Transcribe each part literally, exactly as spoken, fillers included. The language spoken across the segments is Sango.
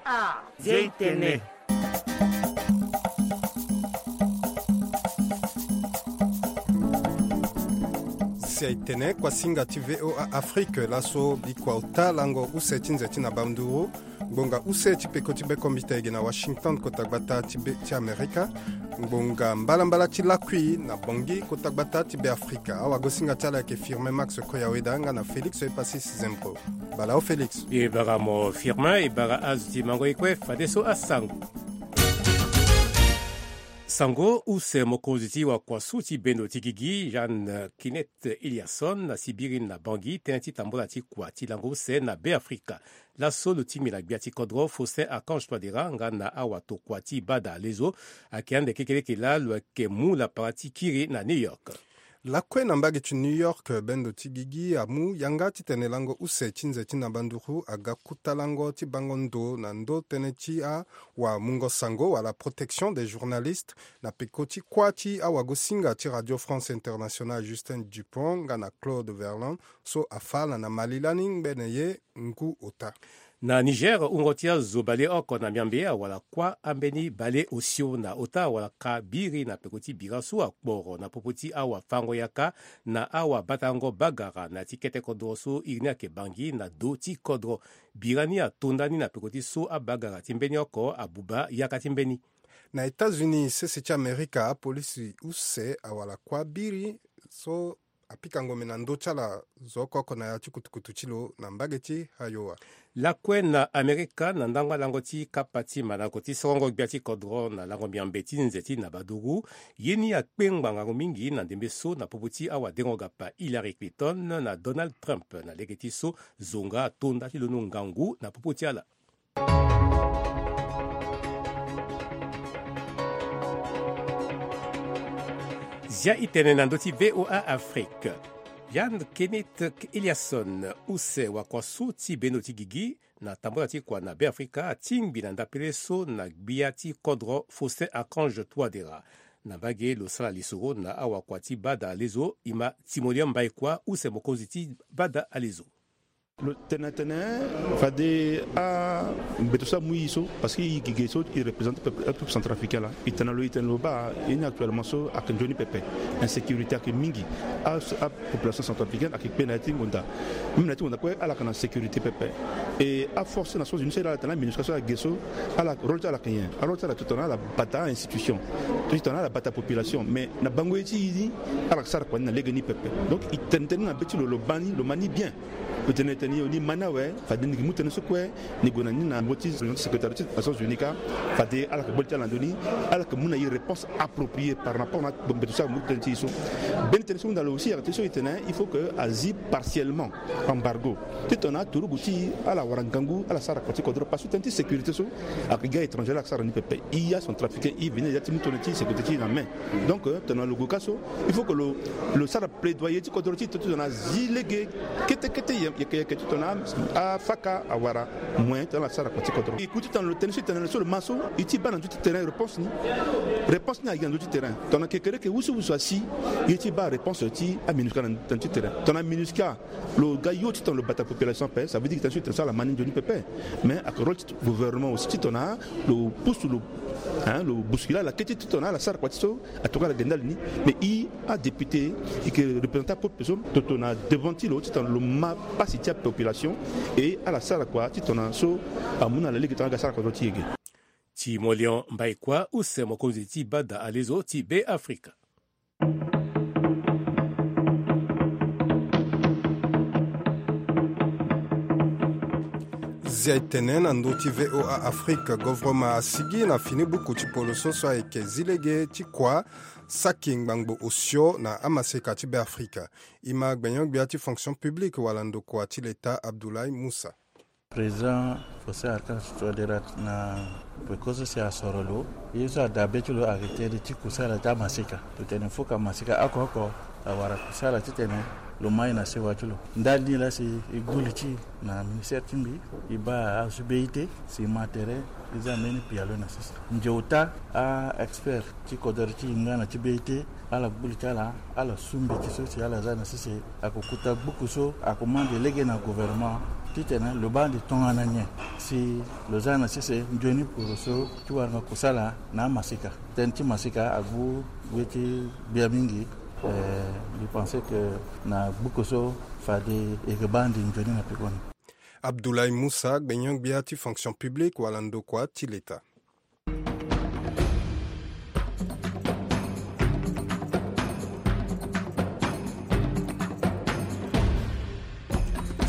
Ah, Zia i tene. Zia i tene, kuasinga ti V O A Afrique, laso bikua ota lango use ti nze ti na banduru, ngbonga use ti peko ti bekombita ege na Washington, kota gbata ti be ti Amerika. Ngbonga mbalambala ti lakui na Bangui, kota gbata ti be Afrika. Awagosinga ti ala ayeke Firmin Max Koyaweda nga na Félix Epasis Zembro. Bala o Félix. E bara mo Firmin, e bara azo ti mango e kue, fadeso asango. Sango use mokonzi ti wakuasu ti bendo ti gigi, Jeanne Kenneth Eliasson, asi biri na Bangui tënë ti tambula ti kua ti lango use na Be Afrika. Laso lo tingbi na gbia ti kodro Faustin Archange Touadéra nga na awatokua ti bada alezo, ayeke ande kekeleke laa lo yeke mu lapara ti kiri na New York. Lakue na mbage ti New York, bendo ti gigi amu yanga titene lango use ti nze ti na banduru aga kuta lango ti bango ndo na ndo tënë ti awamungo sango wala protection des journalistes, na peko ti kuâ ti awagosinga ti Radio France Internationale Justin Dupont nga na Claude Verlon, so afa ala na mali lani ngbene ye ngu ota. Na Niger, wungo ti azo baleoko na miambe awara kuâ ambeni baleosio na ota awara ka biri na peko ti bira so akporo na popo ti awafango yaka na awabatango bagara na ya ti kete kodro so iri ni ayeke Bangui na do ti kodro. Bira ni atonda ni na peko ti so abagara ti mbeni oko abuba yaka ti mbeni. Na États-Unis, sese ti Amerika, apolisi use awara kuâ biri so apika ngombe na ndö ti ala zo oko oko na ya ti kutukutu ti lo na mbage ti Iowa. Lakue na Amerika, na ndangba lango ti kapa ti mandango ti sorongo gbia ti kodro na lango miambe ti nze ti na baduru, ye ni akpe ngbanga mingi na ndembe so na popo ti awadengo gapa Hillary Clinton na Donald Trump na lege ti so zonga atonda ti londo ngangu na popo ti ala. Zia i tene na ndö ti V O A Afrique. Jeanne Kenneth Eliasson, use wakuasu ti bendo ti gigi na tambula ti kua na Be Afrika, atingbi na ndapele so na gbia ti kodro Faustin Archange Touadéra. Na mbage lo sara lisoro na awakua ti bada alezo, e ma Timoleon Mbaïkoi, use mokonzi ti bada alezo. Lo tene tene fade ambeto so amu e so, parce que e gigi so e représente peuple, peuple centrafricain laa. E tene lo, e tene lo baa, e ni actuellement so ayeke nzoni pepe. Insécurité ayeke mingi. A, apopulation centrafricaine ayeke kpe na ya ti ngonda. Même na ya ti ngonda kue ala yeke na sécurité pepe. E aforce Nations Unies so e laa ala tene la MINUSCA so ala ge so, ala rôle ti ala ayeke nyen? Arôle ti ala titene ala bata institution, titene ala bata population. Mais na bango ye ti e ni, ala yeke sara kua ni na lege ni pepe. Donc e tene tënë ni na be ti lo, lo baa ni, lo ma ni bien. Lo tene tënë ni, lo ni ma ni awe, fade ni yeke mu tënë so kue ni gue na ni na niveau ti secrétariat ti Nations Unies kâ. Fade ala yeke boli ti ala na ndö ni, ala yeke mu na e réponse appropriée par rapport na mbeto so ala mu tënë ti e so. Mbeni tënë so hunda lo aussi ayeke tënë so e tene il faut que azi partiellement embargo titene aturugu ti e ala wara ngangu, ala sara kua ti kodro, parce que tënë ti sécurité so ayeke ga étranger la ayeke sara ni pepe. E acentrafricain e veni na ya ti mu tënë ti sécurité ti e na main. Donc titene lo gue kâ so, il faut que lo, lo sara plaidoyer ti kodro ti e titene azi lege kete kete yeke yeke titene afaka awara moyen titene ala sara kua ti kodro. E ku titene lo tene so e tene so lo ma so, e ti baa na ndö ti terrain réponse ni. Réponse ni ayeke na ndö ti terrain. Tongana kekereke wusuwusu asi, e ti baa réponse ti aMINUSCA na ndö ti terrain. Tongana MINUSCA lo ga yo titene lo bata population ape, ça veut dire que titene so e tene so ala ma ni nzoni pepe. Mais ayeke rôle ti gouvernement aussi titene lo pousse lo, hein, lo bousculer ala kete titene ala sara kua ti so. Atokua ala ge ndali ni. Mais e adéputé, e yeke représenté apeuple so, toto na devant ti lo titene lo ma pasi ti apopulation, e ala sara kua titene so amu na ala lege titene aga sara kua so ti e ge. Timoleon Mbaïkoi, use mokonzi ti bada alezo ti Be Afrika. Zia e tene na ndö ti V O A Afrique, govoroma asigi na fini buku ti poloso so ayeke zi lege ti kua saki ngbangbo osio na amaseka ti Be Afrika. E ma gbenyo-gbia ti fonction publique wala ndokua ti leta Abdoulaye Moussa. Président Faustin Archange Touadéra na peko so si asoro lo, ye so adabe ti lo ayeke tënë ti kusala ti amaseka. Lo tene fo ka maseka oko oko awara kusala titene lo ma e na sewa ti lo. Ndali ni laa si e gbu li ti e na ministère ti mbi, e baa azo ti be ite si e ma tere, e za mbeni pialo na sese. Nze ota a-expert ti kodoro ti e nga na ti be ite, ala gbu li ti ala, ala su mbeti so si ala za na sese. Ako kuta buku so ako mande lege na gouvernement Titene lo baa ande tongana nyen si lo za na sese nzoni poro so ti wara na kosala na amasika. Tënë ti masika agu ye ti gbia mingi. Eh, mbi pense que na gbuku so fade e ke baa ande nzoni na pekoni. Abdoulaye Moussa, gbenyo-gbia ti fonction publique wala ndokua ti leta.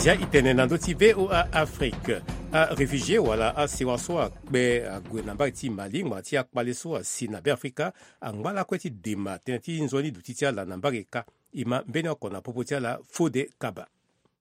Zia e tene na ndö ti V O A Afrique. Aréfugié wala asewa so akpe ague na mbage ti Mali ngbanga ti akpale so asi na Beafrika angba lakue ti dema tënë ti nzoni duti ti ala na mbage ka. E ma mbeni oko na popo ti ala Fode Kaba.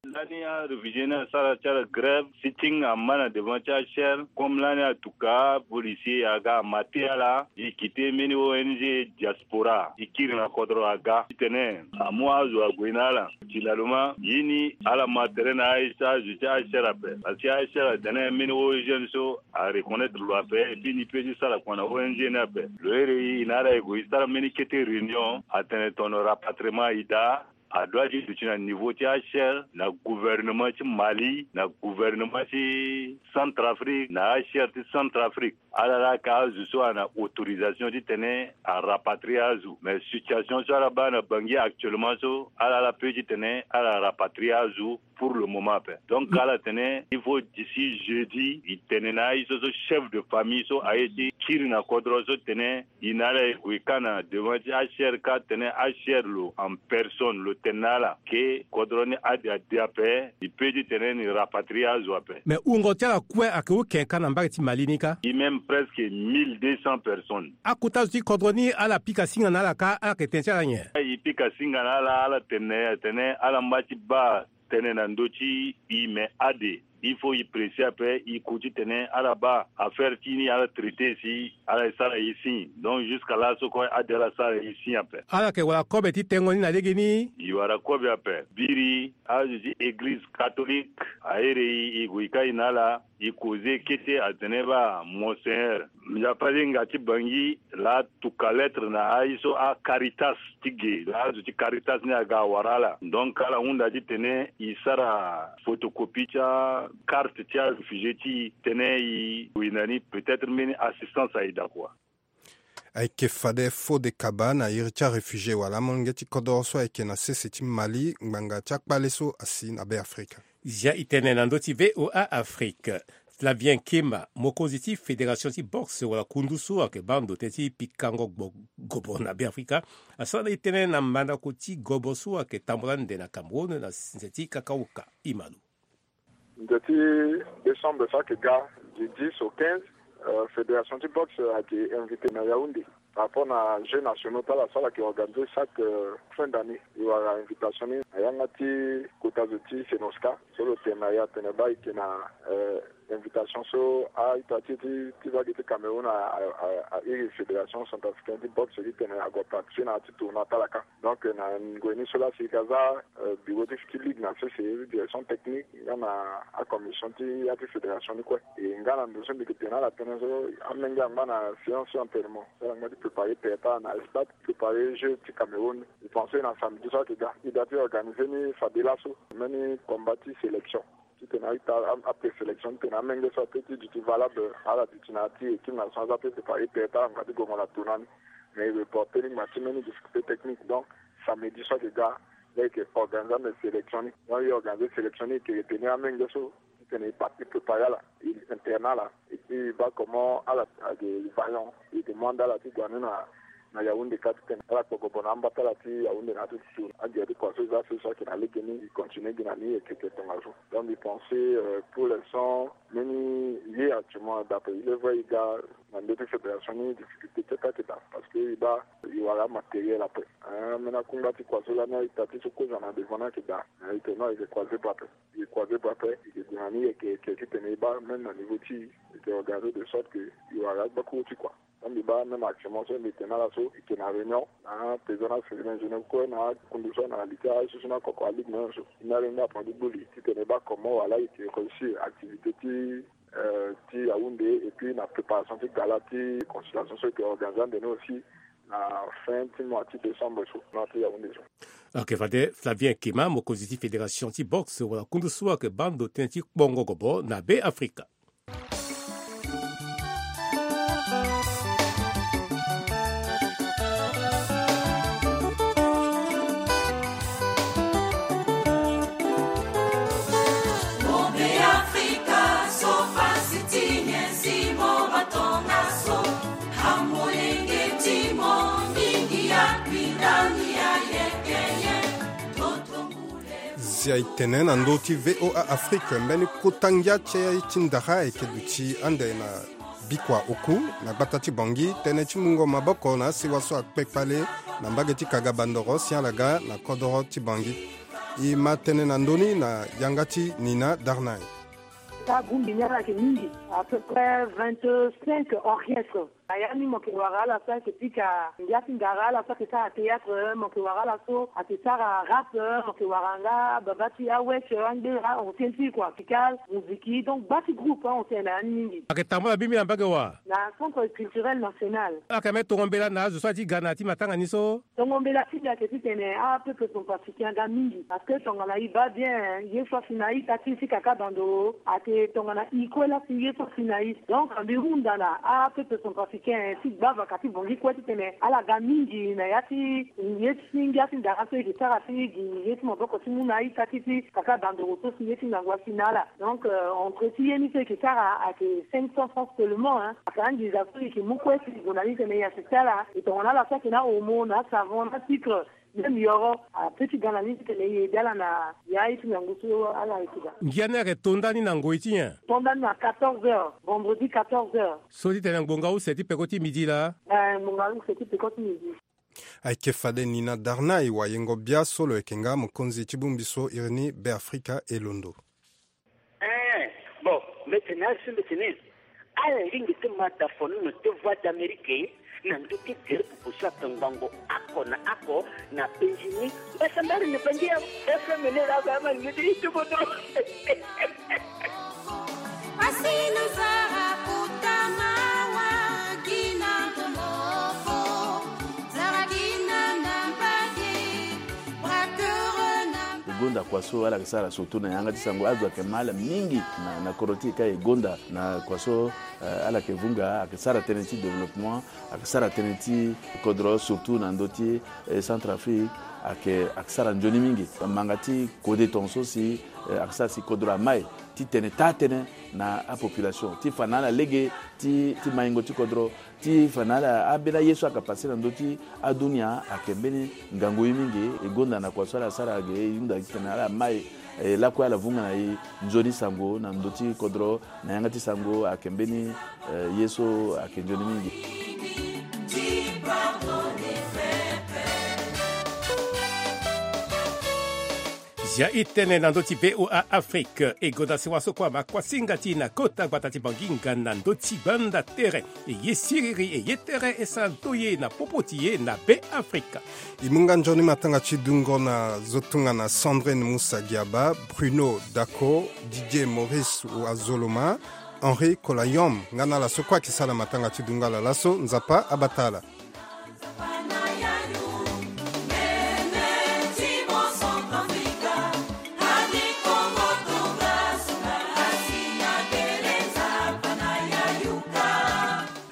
Lani aréfugié ni asara ti ala grève, sitting ama na devant ti achaire, comme lani atuka policier aga amate ala, e kite mbeni O N G diaspora, e kiri na kodro aga titene amu azo ague na ala. Finalement ye ni ala ma tere na azo ti achaire ape, parce que achaire atene mbeni O N G ni so areconnaître lo ape, et puis ni peut ti sara kua na O N G ni ape. Lo here e na ala e gue e sara mbeni kete réunion, atene tono rapatriement e daa. Adoit ti duti na niveau ti achaire na gouvernement ti Mali, na gouvernement ti Centrafrique, na achaire ti Centrafrique. Ala laa ka azo so ana autorisation titene arapatrier azo. Mais situation so ala baa na Bangui actuellement so, ala laa peut titene ala rapatrier azo pour le moment ape. Donc ala tene il faut d'ici jeudi e tene na aye so so chef de famille so aye ti kiri na kodro so tene e na ala e gue ka na devant ti achaire ka tene achaire lo en personne lo tene na ala ke kodro ni ade ade ape, e peut titene ni rapatrier azo ape. Mais wungo ti ala kue ayeke hon ken ka na mbage ti Mali ni ka? E même presque mille deux cents personnes. Akota zo ti kodro ni ala pika singa na ala ka, ala yeke tene ti ala nyen? E pika singa na ala, ala tene na e atene ala ngba ti baa tënë na ndö ti e, mais ade il faut e presser ape, e ku titene ala baa affaire ti ni ala traiter si ala e sara e signe. Donc jusqu'à laso kue ade ala sara e signe ape. Ala yeke wara kobe ti tengo ni na legeni? E wara kobe ape. Biri azo ti église catholique ahere e, e gue e kai na ala, e causer kete atene baa Monseigneur, nzapa ti hinga ti Bangui laa tuka lettre na aye so aCaritas ti ge, laa azo ti Caritas ni aga awara ala. Donc ala hunda titene e sara photocopie ti akarte ti aréfugié ti e titene e gue na ni, peut-être mbeni assistance aye daa kua. Ayeke fade Fode Kaba na iri ti aréfugié wala amolenge ti kodro so ayeke na sese ti Mali ngbanga ti akpale so asi na Beafrika. Zia e tene na ndö ti V O A Afrique. Flavien Kema, mokonzi ti fédération ti boxe wala kundu so ayeke baa ndo tënë ti pikango gbo-, gobo na Beafrika, asara na e tënë na mandako ti gobo so ayeke tambula ande na Cameroun na nze ti kakaoka. E ma lo. Nze ti décembre so ayeke ga, du dix au quinze, euh, fédération ti boxe ayeke invité na Yaoundé. Par rapport na jeux nationaux ti ala so ala yeke organisé chaque, euh, fin d'année. E wara invitation ni na yanga ti kota zo ti Senosca so lo tene na e atene baa e yeke na, euh, invitation so a-ita ti e ti, ti vague ti Cameroun a, a, a, a iri fédération centrafricaine ti boxe titene ague participer na ya ti tournoi ti ala ka. Donc na ngoi ni so laa si e ga za, euh, bureau ti, ti ligue na sese, direction technique nga na acommission ti ya ti fédération ni kue. E nga na ndo so mbi yeke tene na ala tënë so, amenge angba na séance ti entraînement so ala ngba ti préparer tere ti ala na stade, préparer jeu ti Cameroun. E pense na samedi so ayeke ga e da ti organiser ni fade laso mbeni combat ti sélection titene a-ita a, a présélection titene amenge so apeut ti duti valable ala duti na ya ti équipe nationale so apeut préparer tere ti ala ngba ti gongo na tournoi ni. Mais e reporter ni ngba ti mbeni difficulté technique. Donc samedi so ayeke ga, e yeke organiser ande sélection ni. Donc e organiser sélection ni, e yeke retenir amenge so titene e parti préparer ala, e interner ala, et puis e baa comment ala ayeke vaillant, e demande ala ti gue ande na, na Yaoundé ka titene ala kpo gobo na amba ti ala ti Yaoundé na ya ti tour. Agere ti kua so e za so, so ayeke na legeni, e continuer gi na ni, e yeke, e yeke tongaso. Donc mbi pense, euh, pour l'instant mbeni ye actuellement, d'après, il est vrai, e ga na ndö ti fédération ni difficulté ti attaque daa, parce que e baa e wara matériel ape. Hein, mbeni akungba ti kua so lani a-ita ti so kozo na devant ni ayeke daa. Hein, e tene non, e yeke croiser bras ape. E croiser bras ape, e yeke gue na ni, e yeke, e yeke titene e baa même na niveau ti e, e yeke organiser de sorte que e wara agbakuru ti kua. Donc mbi baa même actuellement so mbi tene na ala so, e yeke na réunion na aprésident na féminin jeune kue na akundu so na li ti aye so so na koko aligue na nyonso. E na alingbi apren ti gbu li titene e baa comment wala e yeke réussir activité ti, euh, ti Yaoundé, et puis na préparation ti gala ti consultation so e yeke organiser ande ni aussi. na fin ti mois ti décembre so na ti Yaoundé so. Ok, fade Flavien Kema, mokonzi ti fédération ti boxe wala kundu so ayeke baa ndo tënë ti kpongo gobo na Be Afrika. Zia e tene na ndö ti V O A Afrique, mbeni kota ngia ti e ti ndara ayeke duti ande na bikua oku na gbata ti Bangui, tënë ti mungo maboko na asiwa so akpe kpale na mbage ti Kaga Bandoro si ala ga na kodoro ti Bangui. E ma tene na ndö ni na yanga ti Nina Darnay. Taa bongbi ni ala yeke mingi, à peu près vingt-cinq orchestres. Na ya ni mo yeke wara ala so ayeke pika ngia ti ndara, ala so ayeke sara théâtre, mo yeke wara ala so ayeke sara rap, mo yeke wara nga baba ti awesh, angbera, ancien ti kua, pika muziki. Donc gba ti groupe, hein, on tene na ya ni mingi. Ayeke tambula bimbi na mbage wa? Na centre culturel national. Ala yeke mbeni tongo mbela na azo so aye ti ga na ya ti matanga ni so? Tongo mbela ti mbi ayeke titene apeuple centrafricain aga mingi, parce que tongana e baa bien, ye so asi na e taa ti si Kaka Bandoro ayeke tongana e kue laa si ye so asi na e. Donc mbi hunda na apeuple centrafricain ti gbavaka ti Bangui kue titene ala ga mingi na ya ti ye ti ngia ti ndara so e yeke sara ti gi ye ti maboko ti mu na e taa ti si Kaka Bandoro so si ye ti ngangu asi na ala. Donc, euh, entre ti ye ni so e yeke sara ayeke cinq cents francs seulement, hein. Ayeke anginza so e yeke mu kue si e gue na ni tene e assister ala. E tongana ala so ayeke na omo, na savon, na sucre, même yoro, ape ti ga na ni titene e ede ala na ya ye ti ngangu so ala yeke ga. Ngia ni ayeke to nda ni na ngoi ti nyen? To nda ni na quatorze heures, vendredi quatorze heures. So titene ngbonga use ti peko ti midi laa? Eh, ngbonga use ti peko ti midi. Ayeke fade Nina Darnay, wayengo bia so lo yeke nga mokonzi ti bongbi so iri ni Be Afrika e londo. Eh, bon, mbi tene asi mbi tene ala lingbi ti ma dafonono ti Voix d'Amérique na ndö ti gere pupu so ayeke ngbongo oko na oko na penzi ni. Mbasambara na Bangi ya F M ni laa, ba ma lingbi ti tubu tu. E gonda kua so ala yeke sara surtout na yanga ti sango, azo ayeke ma ala mingi na, na kodro ti e ka. E gonda na kua so, eh, ala yeke vunga, ayeke sara tënë ti développement, ayeke sara tënë ti kodro, surtout na ndö ti, eh, Centrafrique, ayeke, ayeke sara nzoni mingi. Manga ti kode tongaso si, eh, ayeke sara si kodro amai titene taa tënë na apopulation ti fa na ala lege ti, ti maingo ti kodro, ti fa na ala ambeni aye so ayeke pase na ndö ti adunia ayeke mbeni ngangu ye mingi. E gonda na kua so ala sara ge, e hunda titene ala mai, e lakue ala vunga na e nzoni sango na ndö ti kodro, na yanga ti sango ayeke mbeni, eh, ye so ayeke nzoni mingi. Zia e tene na ndö ti V O A Afrique. E gonda sewa so kue ama kuasinga ti e na kota gbata ti Bangui nga na ndö ti banda tere. E ye siriri, e ye tere, e sara ndoye na popo ti e na Be Afrika. E mu nga nzoni matanga ti dungo na zo tongana Sandrine Musa Giaba, Bruno Daco, Didier Maurice Wazoloma, Henri Kolayom, nga na ala so kue ayeke sara matanga ti dungo ala laso. Nzapa abata ala.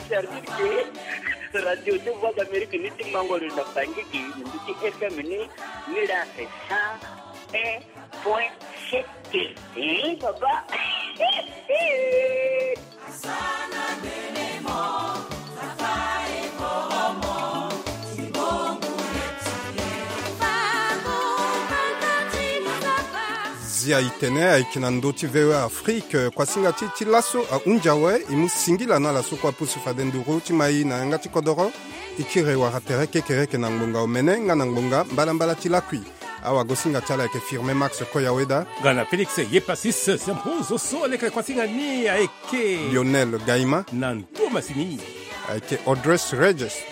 Service de Radio de Voix d'Amérique ni ti mango lo na Bangui gi, ni ti F M ni, ni la fait cent un point sept. Eh, papa. Zia e tene ayeke na ndö ti V O A Afrique. Kuasinga ti e ti laso ahunzi awe. E mu singila na ala so kue apusu fade nduru ti ma e na yanga ti kodoro. E kiri wara tere kekereke na ngbonga omene nga na ngbonga mbalambala ti lakui. Awagosinga ti ala ayeke Firmin Max Koyaweda. Nga na Félix Yepasis Sempozo so aleke kuasinga ni ayeke Lionel Gaima. Na ndo masini ayeke Audrey Regis.